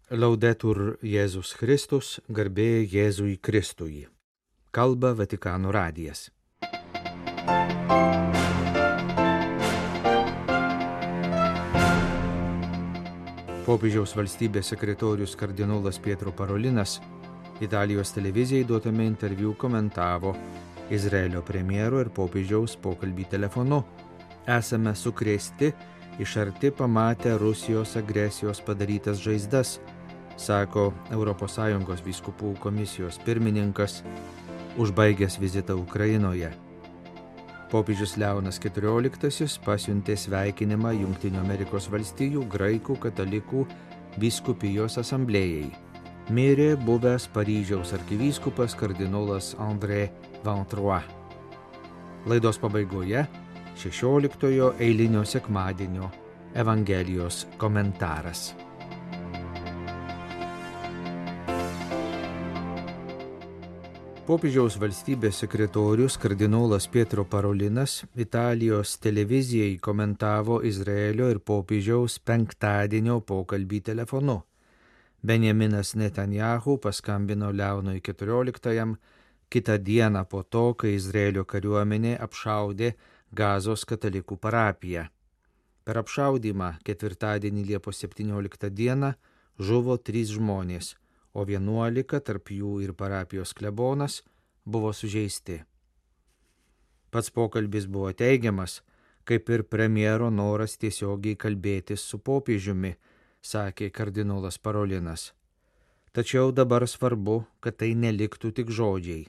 Laudetur Jėzus Kristus, garbė Jėzui Kristui. Kalba Vatikano radijas. Popiežiaus valstybės sekretorius kardinolas Pietro Parolinas Italijos televizijai duotame interviu komentavo Izraelio premjero ir popiežiaus pokalbį telefonu. Esame sukrėsti, iš arti pamatę Rusijos agresijos padarytas žaizdas, sako ES vyskupų komisijos pirmininkas, užbaigęs vizitą Ukrainoje. Popiežius Leonas XIV pasiuntė sveikinimą Jungtinių Amerikos valstijų graikų katalikų vyskupijos asamblėjai. Mirė buvęs Paryžiaus arkivyskupas kardinolas André Vantrois. Laidos pabaigoje 16 eilinio sekmadienio Evangelijos komentaras. Popiežiaus valstybės sekretorius kardinolas Pietro Parolinas Italijos televizijai komentavo Izraelio ir popiežiaus penktadienio pokalbį telefonu. Benjaminas Netanjahu paskambino Leonui XIV kitą dieną po to, kai Izraelio kariuomenė apšaudė Gazos katalikų parapiją. Per apšaudymą ketvirtadienį Liepos 17 dieną žuvo 3 žmonės, o 11 tarp jų ir parapijos klebonas buvo sužeisti. Pats pokalbis buvo teigiamas, kaip ir premjero noras tiesiogiai kalbėtis su popiežiumi, sakė kardinolas Parolinas. Tačiau dabar svarbu, kad tai neliktų tik žodžiai.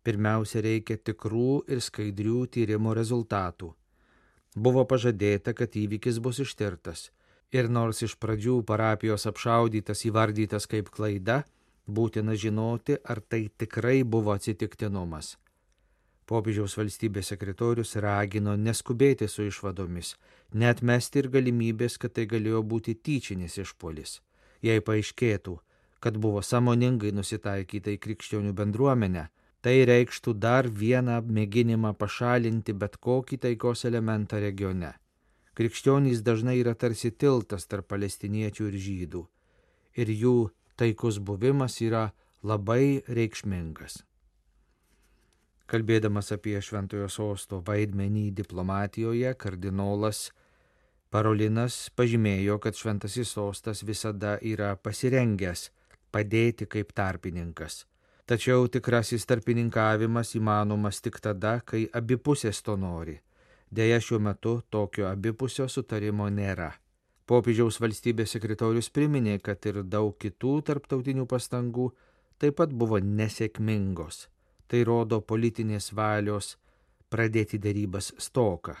Pirmiausia, reikia tikrų ir skaidrių tyrimo rezultatų. Buvo pažadėta, kad įvykis bus ištirtas. Ir nors iš pradžių parapijos apšaudytas įvardytas kaip klaida, būtina žinoti, ar tai tikrai buvo atsitiktinumas. Popiežiaus valstybės sekretorius ragino neskubėti su išvadomis, neatmesti ir galimybės, kad tai galėjo būti tyčinis išpuolis. Jei paaiškėtų, kad buvo sąmoningai nusitaikyta į krikščionių bendruomenę, tai reikštų dar vieną mėginimą pašalinti bet kokį taikos elementą regione. Krikščionys dažnai yra tarsi tiltas tarp palestiniečių ir žydų, ir jų taikus buvimas yra labai reikšmingas. Kalbėdamas apie Šventojo Sosto vaidmenį diplomatijoje, kardinolas Parolinas pažymėjo, kad Šventasis Sostas visada yra pasirengęs padėti kaip tarpininkas. Tačiau tikrasis tarpininkavimas įmanomas tik tada, kai abi pusės to nori. Deja, šiuo metu tokio abipusio sutarimo nėra. Popiežiaus valstybės sekretorius priminė, kad ir daug kitų tarptautinių pastangų taip pat buvo nesėkmingos. Tai rodo politinės valios pradėti derybas stoką.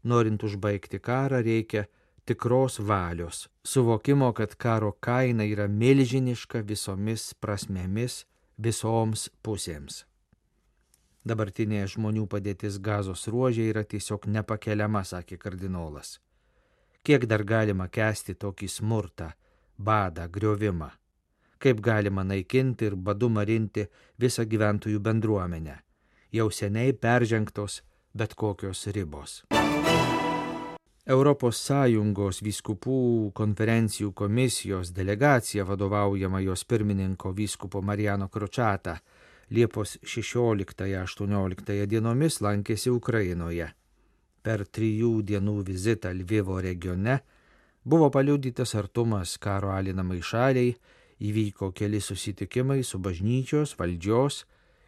Norint užbaigti karą, reikia tikros valios, suvokimo, kad karo kaina yra milžiniška visomis prasmėmis, visoms pusėms. Dabartinė žmonių padėtis Gazos ruože yra tiesiog nepakeliama, sakė kardinolas. Kiek dar galima kęsti tokį smurtą, badą, griovimą? Kaip galima naikinti ir badu marinti visą gyventojų bendruomenę? Jau seniai peržengtos bet kokios ribos. ES vyskupų konferencijų komisijos delegacija vadovaujama jos pirmininko vyskupo Mariano Crociata Liepos 16-18 dienomis lankėsi Ukrainoje. Per 3 dienų vizitą Lvivo regione buvo paliudytas artumas karo alinamai šaliai, įvyko keli susitikimai su bažnyčios, valdžios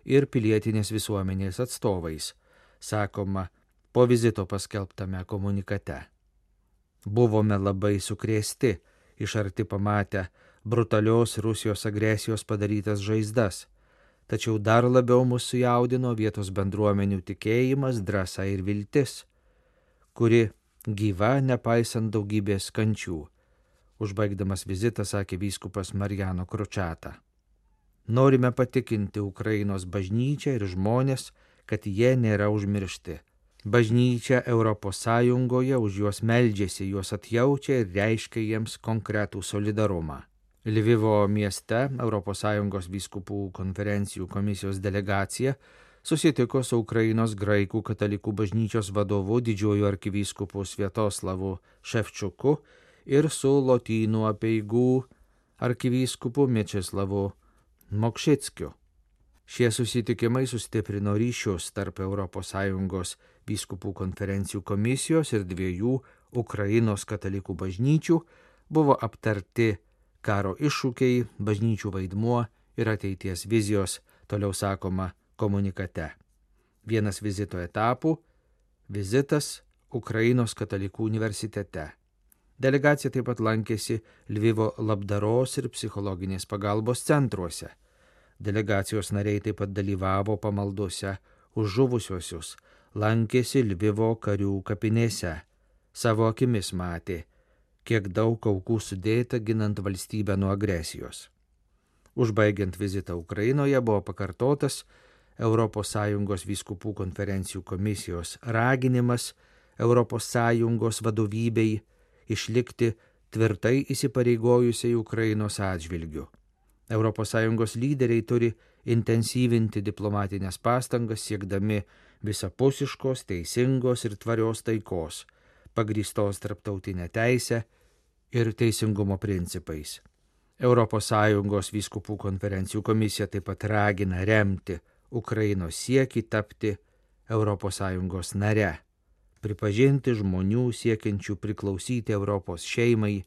ir pilietinės visuomenės atstovais, sakoma po vizito paskelbtame komunikate. Buvome labai sukrėsti, iš arti pamatę brutalios Rusijos agresijos padarytas žaizdas, tačiau dar labiau mus sujaudino vietos bendruomenių tikėjimas, drąsa ir viltis, kuri gyva nepaisant daugybės kančių. Užbaigdamas vizitą sakė vyskupas Mariano Crociata. Norime patikinti Ukrainos bažnyčią ir žmonės, kad jie nėra užmiršti. Bažnyčia ES už juos meldžiasi, juos atjaučia ir reiškia jiems konkretų solidarumą. Lvivo mieste ES vyskupų konferencijų komisijos delegacija susitiko su Ukrainos graikų katalikų bažnyčios vadovu didžiuoju arkivyskupu Sviatoslavu Ševčiuku ir su Lotynų apeigų arkivyskupu Mečeslavu Mokšickiu. Šie susitikimai sustiprino ryšius tarp ES vyskupų konferencijų komisijos ir 2 Ukrainos katalikų bažnyčių, buvo aptarti karo iššūkiai, bažnyčių vaidmuo ir ateities vizijos, toliau sakoma komunikate. Vienas vizito etapų – vizitas Ukrainos katalikų universitete. Delegacija taip pat lankėsi Lvivo labdaros ir psichologinės pagalbos centruose. Delegacijos nariai taip pat dalyvavo pamaldose už žuvusiuosius, lankėsi Lvivo karių kapinėse, savo akimis matė, kiek daug aukų sudėta ginant valstybę nuo agresijos. Užbaigiant vizitą Ukrainoje buvo pakartotas ES vyskupų konferencijų komisijos raginimas ES vadovybei išlikti tvirtai įsipareigojusiai Ukrainos atžvilgiu. ES lyderiai turi intensyvinti diplomatinės pastangas siekdami visapusiškos, teisingos ir tvarios taikos, pagrįstos tarptautinė teisė ir teisingumo principais. ES vyskupų konferencijų komisija taip pat ragina remti Ukrainos siekį tapti ES nare, pripažinti žmonių siekiančių priklausyti Europos šeimai,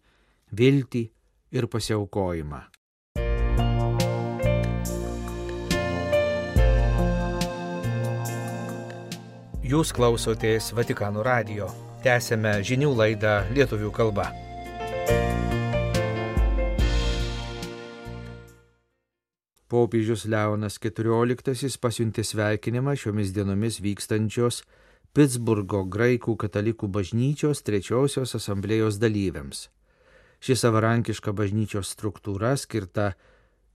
viltį ir pasiaukojimą. Jūs klausotės Vatikano radijo. Tęsiame žinių laidą lietuvių kalba. Popiežius Leonas XIV pasiuntė sveikinimą šiomis dienomis vykstančios Pitsburgo graikų katalikų bažnyčios 3 asamblėjos dalyviams. Ši savarankiška bažnyčios struktūra skirta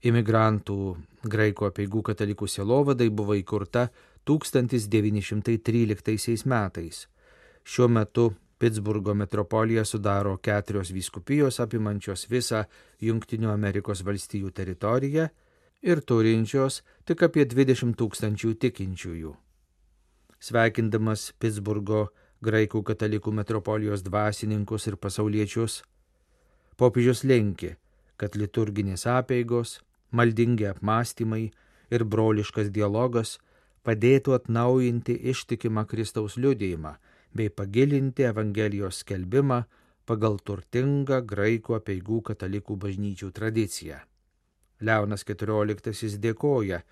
imigrantų graikų apeigų katalikų sielovadai buvo įkurta 1913 metais. Šiuo metu Pitsburgo metropoliją sudaro 4 vyskupijos apimančios visą Jungtinių Amerikos valstijų teritoriją ir turinčios tik apie 20 000 tikinčiųjų. Sveikindamas Pitsburgo graikų katalikų metropolijos dvasininkus ir pasauliečius, popiežius linki, kad liturginės apeigos, maldingi apmąstymai ir broliškas dialogas padėtų atnaujinti ištikimą Kristaus liudijimą bei pagilinti Evangelijos skelbimą pagal turtingą graikų apeigų katalikų bažnyčių tradiciją. Leonas XIV dėkoja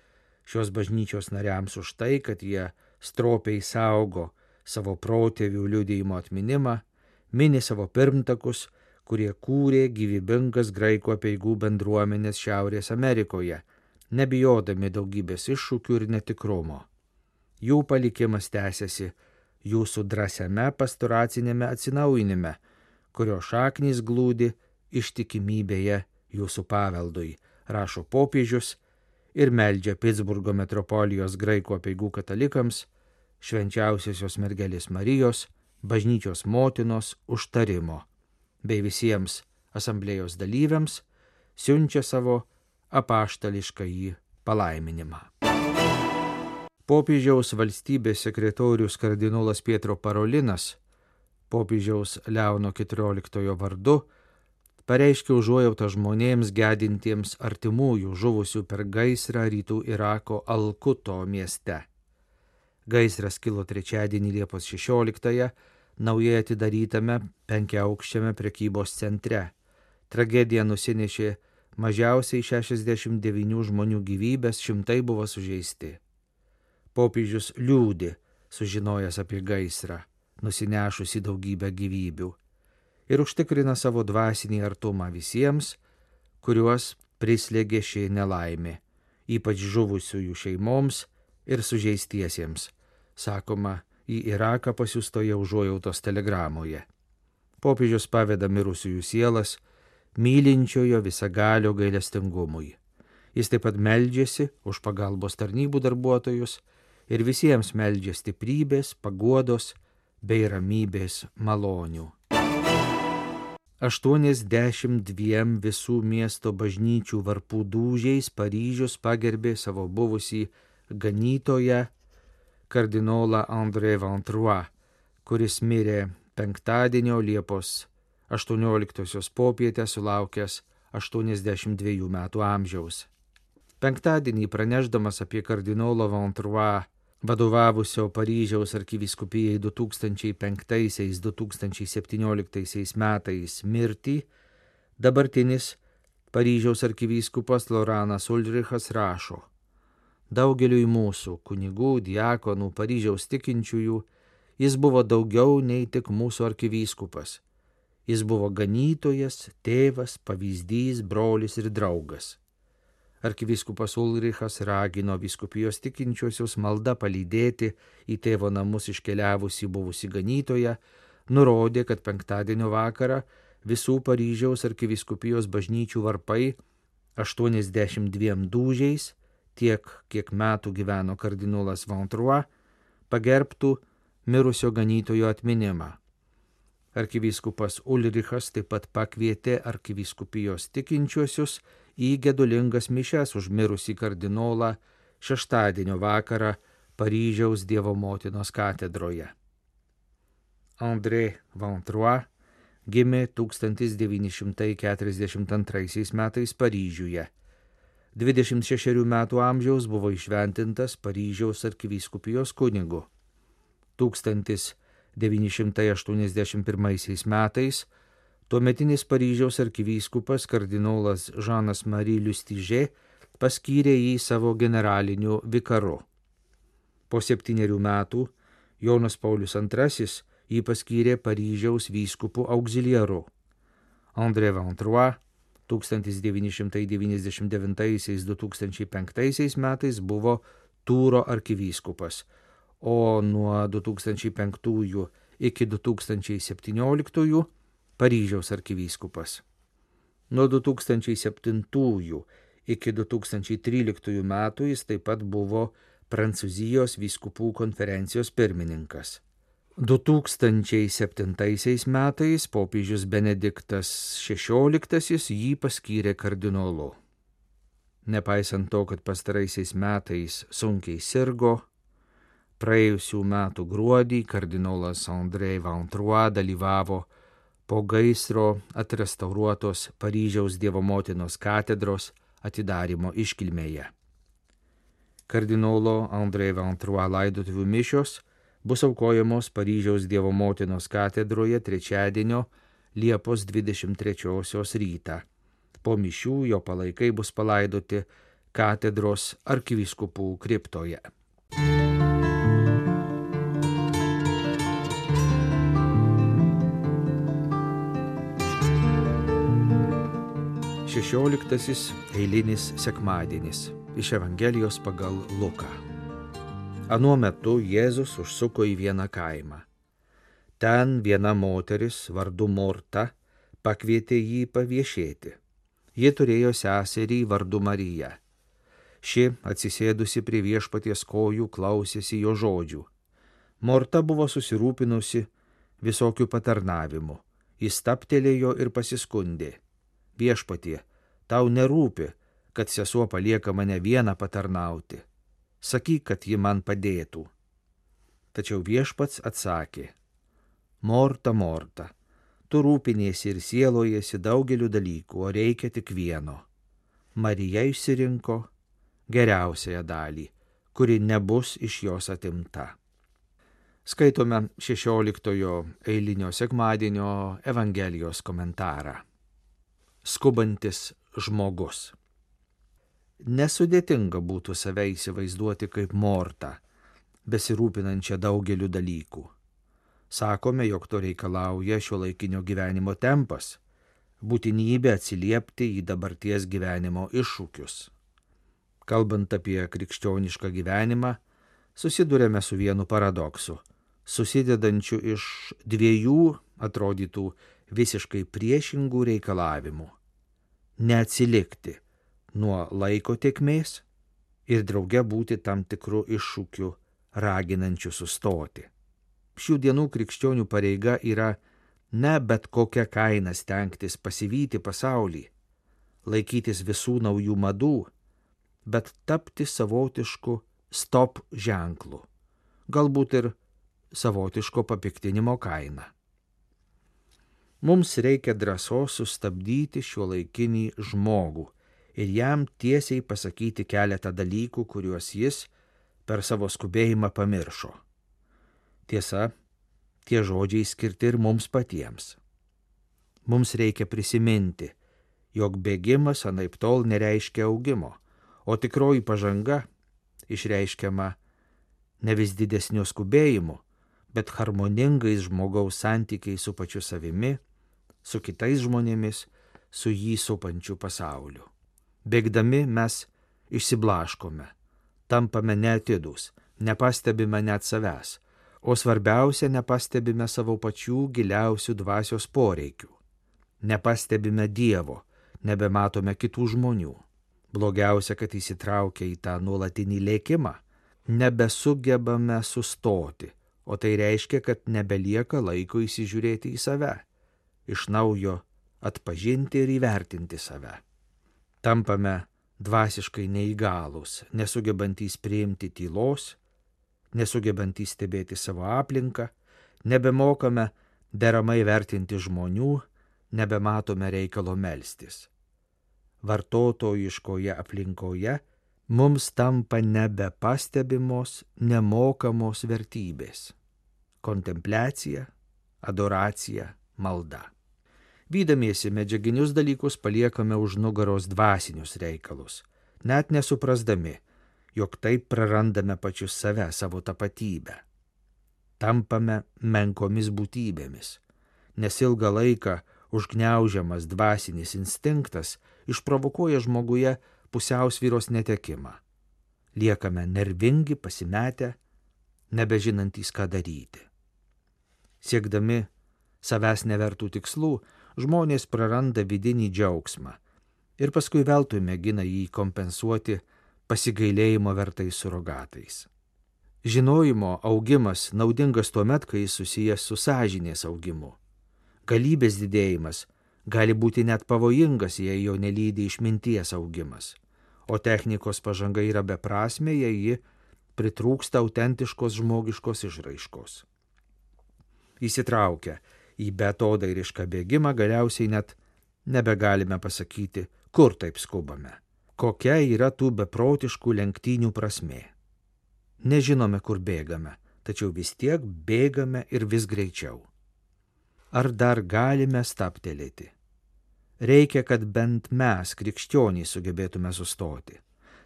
šios bažnyčios nariams už tai, kad jie stropiai saugo savo protėvių liudijimo atminimą, mini savo pirmtakus, kurie kūrė gyvybingas graikų apeigų bendruomenės Šiaurės Amerikoje, nebijodami daugybės iššūkių ir netikrumo. Jų palikimas tęsiasi jūsų drąsiame pastoracinėme atsinaujinime, kurio šaknys glūdi ištikimybėje jūsų paveldui, rašo popiežius ir meldžia Pitsburgo metropolijos graikų apeigų katalikams, švenčiausiosios mergelės Marijos, bažnyčios motinos užtarimo, bei visiems asamblėjos dalyviams siunčia savo apaštališkąjį palaiminimą. Popiežiaus valstybės sekretorius kardinolas Pietro Parolinas, popiežiaus Leono XIV vardu, pareiškė užuojautą žmonėms gedintiems artimųjų žuvusių per gaisrą rytų Irako Al-Kuto mieste. Gaisras kilo trečiadienį Liepos 16-ąją naujai atidarytame 5-aukščiame prekybos centre. Tragedija nusinešė mažiausiai 69 žmonių gyvybės, 100 buvo sužeisti. Popiežius liūdi, sužinojęs apie gaisrą, nusinešusi daugybę gyvybių, ir užtikrina savo dvasinį artumą visiems, kuriuos prislėgė ši nelaimė, ypač žuvusiųjų šeimoms ir sužeistiesiems, sakoma į Iraką pasiųstoje užuojautos telegramoje. Popiežius paveda mirusiųjų sielas mylinčiojo visagalio gailestingumui. Jis taip pat meldžiasi už pagalbos tarnybų darbuotojus ir visiems meldžia stiprybės, paguodos bei ramybės malonių. 82 visų miesto bažnyčių varpų dūžiais Paryžius pagerbė savo buvusį ganytoją kardinolą André Vantrois, kuris mirė penktadienio Liepos 18 popietę sulaukęs 82 metų amžiaus. Penktadienį pranešdamas apie kardinolo Vauntruą vadovavusio Paryžiaus arkivyskupijai 2005–2017 metais mirtį, dabartinis Paryžiaus arkivyskupas Loranas Ulrichas rašo: daugeliui mūsų kunigų, diakonų, Paryžiaus tikinčiųjų jis buvo daugiau nei tik mūsų arkivyskupas. Jis buvo ganytojas, tėvas, pavyzdys, brolis ir draugas. Arkivyskupas Ulrichas ragino vyskupijos tikinčiuosius malda palydėti į tėvo namus iškeliavusį buvusį ganytoją, nurodė, kad penktadienio vakarą visų Paryžiaus arkivyskupijos bažnyčių varpai 82 dūžiais, tiek kiek metų gyveno kardinolas Vauntruą, pagerbtų mirusio ganytojo atminimą. Arkivyskupas Ulrichas taip pat pakvietė arkivyskupijos tikinčiuosius į gedulingas mišias už mirusį kardinolą šeštadienio vakarą Paryžiaus Dievo motinos katedroje. André Vauntruą gimė 1942 metais Paryžiuje. 26 metų amžiaus buvo įšventintas Paryžiaus arkivyskupijos kunigu. 1981 metais tuometinis Paryžiaus arkivyskupas kardinolas Žanas Marie Lustiger paskyrė jį savo generaliniu vikaru. Po 7 metų Jonas Paulius II jį paskyrė Paryžiaus vyskupų auxiliaru. André Vauntruą 1999–2005 metais buvo Tūro arkivyskupas, o nuo 2005 iki 2017 Paryžiaus arkivyskupas. Nuo 2007 iki 2013 metų jis taip pat buvo Prancūzijos vyskupų konferencijos pirmininkas. 2007 metais popiežius Benediktas XVI jį paskyrė kardinolu. Nepaisant to, kad pastaraisiais metais sunkiai sirgo, praėjusių metų gruodį kardinolas André Vauntruą dalyvavo po gaisro atrestauruotos Paryžiaus Dievo motinos katedros atidarymo iškilmėje. Kardinolo André Vauntruą laidotuvių mišios bus aukojamos Paryžiaus Dievo motinos katedroje trečiadienio Liepos 23 rytą. Po mišių jo palaikai bus palaidoti katedros arkivyskupų kriptoje. Šešioliktasis eilinis sekmadienis iš Evangelijos pagal Luką. Anuo metu Jėzus užsuko į vieną kaimą. Ten viena moteris vardu Morta pakvietė jį paviešėti. Ji turėjo seserį vardu Mariją. Ši, atsisėdusi prie viešpaties kojų, klausėsi jo žodžių. Morta buvo susirūpinusi visokių patarnavimų. Jis stabtelėjo ir pasiskundė: Viešpatie, tau nerūpi, kad sesuo palieka mane vieną patarnauti. Sakyk, kad ji man padėtų. Tačiau viešpats atsakė: Morta, Morta, tu rūpiniesi ir sielojasi daugeliu dalykų, o reikia tik vieno. Marija išsirinko geriausiąją dalį, kuri nebus iš jos atimta. Skaitome 16 eilinio sekmadienio Evangelijos komentarą. Skubantis žmogus. Nesudėtinga būtų save įsivaizduoti kaip Mortą, besirūpinančią daugeliu dalykų. Sakome, jog to reikalauja šiuolaikinio gyvenimo tempas, būtinybė atsiliepti į dabarties gyvenimo iššūkius. Kalbant apie krikščionišką gyvenimą, susidurėme su vienu paradoksu, susidedančiu iš dviejų atrodytų visiškai priešingų reikalavimų: neatsilikti nuo laiko tėkmės ir drauge būti tam tikrų iššūkių raginančių sustoti. Šių dienų krikščionių pareiga yra ne bet kokia kaina stengtis pasivyti pasaulį, laikytis visų naujų madų, bet tapti savotišku stop ženklu, galbūt ir savotiško papiktinimo kaina. Mums reikia drąsos sustabdyti šiuolaikinį žmogų ir jam tiesiai pasakyti keletą dalykų, kuriuos jis per savo skubėjimą pamiršo. Tiesa, tie žodžiai skirti ir mums patiems. Mums reikia prisiminti, jog bėgimas anaiptol nereiškia augimo, o tikroji pažanga išreiškiama ne vis didesniu skubėjimu, bet harmoningais žmogaus santykiais su pačiu savimi, su kitais žmonėmis, su jį supančiu pasauliu. Bėgdami mes išsiblaškome, tampame neatidūs, nepastebime net savęs, o svarbiausia, nepastebime savo pačių giliausių dvasios poreikių. Nepastebime Dievo, nebematome kitų žmonių. Blogiausia, kad įsitraukę į tą nuolatinį lėkimą, nebesugebame sustoti, o tai reiškia, kad nebelieka laiko įsižiūrėti į save, iš naujo atpažinti ir įvertinti save. Tampame dvasiškai neįgalūs, nesugebantys priimti tylos, nesugebantys stebėti savo aplinką, nebemokame deramai vertinti žmonių, nebematome reikalo melstis. Vartotojiškoje aplinkoje mums tampa nebepastebimos, nemokamos vertybės – kontempliacija, adoracija, malda. Vydamiesi medžiaginius dalykus paliekame už nugaros dvasinius reikalus, net nesuprasdami, jog taip prarandame pačius save, savo tapatybę. Tampame menkomis būtybėmis, nes ilgą laiką užgniaužiamas dvasinis instinktas išprovokuoja žmoguje pusiausvyros netekimą. Liekame nervingi, pasimetę, nebežinantys, ką daryti. Siekdami savęs nevertų tikslų, žmonės praranda vidinį džiaugsmą ir paskui veltui mėgina jį kompensuoti pasigailėjimo vertais surogatais. Žinojimo augimas naudingas tuomet, kai jis susijęs su sąžinės augimu. Galybės didėjimas gali būti net pavojingas, jei jo nelydi išminties augimas, o technikos pažanga yra beprasmė, jei ji pritrūksta autentiškos žmogiškos išraiškos. Įsitraukę į beatodairišką bėgimą galiausiai net nebegalime pasakyti, kur taip skubame, kokia yra tų beprotiškų lenktynių prasmė. Nežinome, kur bėgame, tačiau vis tiek bėgame ir vis greičiau. Ar dar galime stabtelėti? Reikia, kad bent mes, krikščionys, sugebėtume sustoti.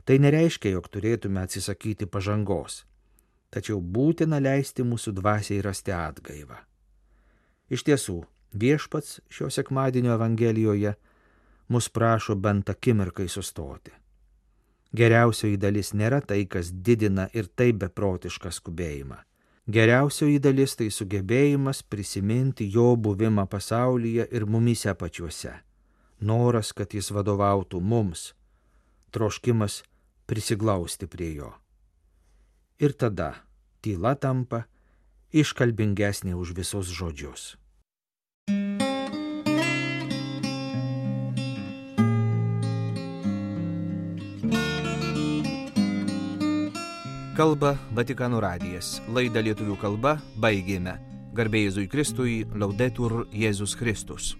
Tai nereiškia, jog turėtume atsisakyti pažangos, tačiau būtina leisti mūsų dvasiai rasti atgaivą. Iš tiesų, viešpats šio sekmadienio Evangelijoje mus prašo bent akimirkai sustoti. Geriausioji dalis nėra tai, kas didina ir taip beprotišką skubėjimą. Geriausioji dalis tai sugebėjimas prisiminti jo buvimą pasaulyje ir mumyse pačiuose. Noras, kad jis vadovautų mums, troškimas prisiglausti prie jo. Ir tada tyla tampa iškalbingesnė už visus žodžius. Kalba Vatikano radijas. Laidą lietuvių kalba baigėme. Garbė Jėzui Kristui, Laudetur Jėzus Kristus.